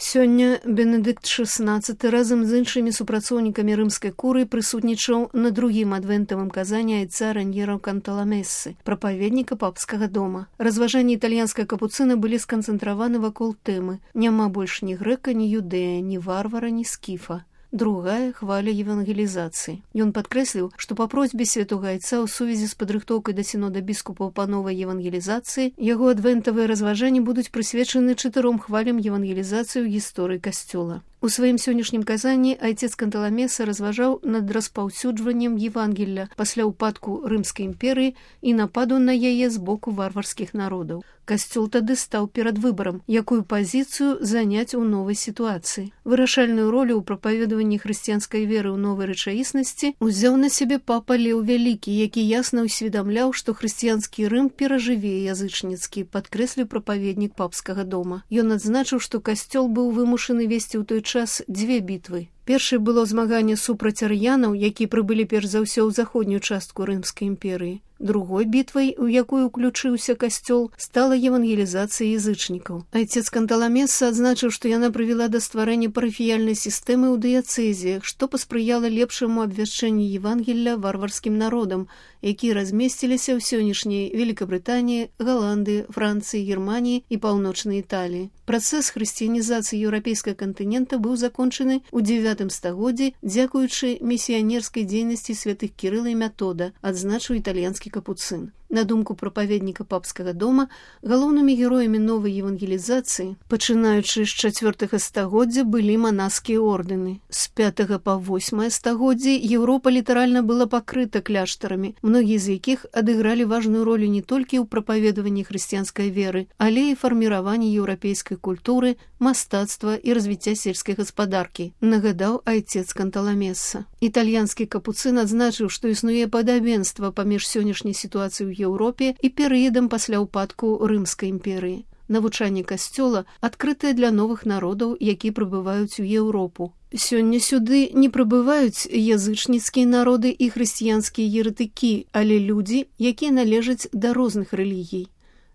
Сёння Бенедыкт XVI разам з іншымі супрацоўнікамі рымскай курыі прысутнічаў на другім адвентавым казанні айца Раньеро Канталамессы, прапаведніка папскага дома. Разважанні італьянскай капуцына былі сканцэнтраваны вакол тэмы «Няма больш ні грэка, ні юдэя, ні варвара, ні скіфа». Другая хваля евангелізацыі. Ён падкрэсліў, што па просьбе святога айца ў сувязі з падрыхтоўкай да сінода біскупаў па новай евангелізацыі яго адвентавыя разважанні будуць прысвечаны 4 хвалям евангелізацыі ў гісторыі касцёла. У сваім сённяшнім казанні айцец Канталамеса разважаў над распаўсюджваннем Евангелля пасля ўпадку Рымскай імперыі і нападу на яе з боку варварскіх народаў. Касцёл тады стаў перад выбарам, якую пазіцыю заняць у новай сітуацыі. Вырашальную ролю ў прапаведаванні хрысціянскай веры ў новай рэчаіснасці узяў на сябе папа Леў Вялікі, які ясна ўсведамляў, што хрысціянскі Рым перажыве язычніцкі, падкрэсліў прапаведнік папскага дома. Ён адзначыў, што касцёл быў вымушаны весці ў той час 2 бітвы. Першай было змаганне супраць ар'янаў, які прыбылі перш за ўсё ў заходнюю частку Рымскай імперыі. Другой бітвай, у якую ўключыўся касцёл, стала евангелізацыя язычнікаў. Айцец Канталамеса адзначыў, што яна прывяла да стварэння парафіяльнай сістэмы ў дыяцэзіях, што паспрыяла лепшаму абвяшчэнню Евангелля варварскім народам, якія размесціліся ў сённяшняй Великабрытаніі, Галандыі, Францыі, Германіі і паўночнай Італіі. Працэс хрысціянізацыі еўрапейскага кантынента быў закончаны ў 9 стагоддзі дзякуючы місіянерскай дзейнасці святых Кірыла і Метода, адзначыў італьянскі капуцын. На думку прапаведніка папскага дома, галоўнымі героямі новай евангелізацыі, пачынаючы з 4 стагоддзя, былі манаскія ордэны. З 5 па 8 стагоддзі Еўропа літаральна была пакрыта кляштарамі, многія з якіх адыгралі важную ролю не толькі ў прапаведаванні хрысціянскай веры, але і фарміраванні еўрапейскай культуры, мастацтва і развіцця сельскай гаспадаркі, нагадаў айцец Канталамеса. Італьянскі капуцын адзначыў, што існуе падабенства паміж сённяшняй сітуацыяй у Еўропе і перыядам пасля ўпадку Рымскай імперыі. Навучанне касцёла адкрытае для новых народаў, які прыбываюць у Еўропу. Сёння сюды не прыбываюць язычніцкія народы і хрысціянскія еретыкі, але людзі, якія належаць да розных рэлігій.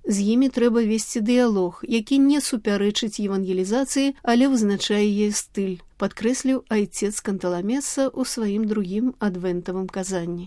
З імі трэба весці дыялог, які не супярэчыць евангелізацыі, але вызначае яе стыль, падкрэсліў айцец Канталамеса ў сваім другім адвентавым казанні.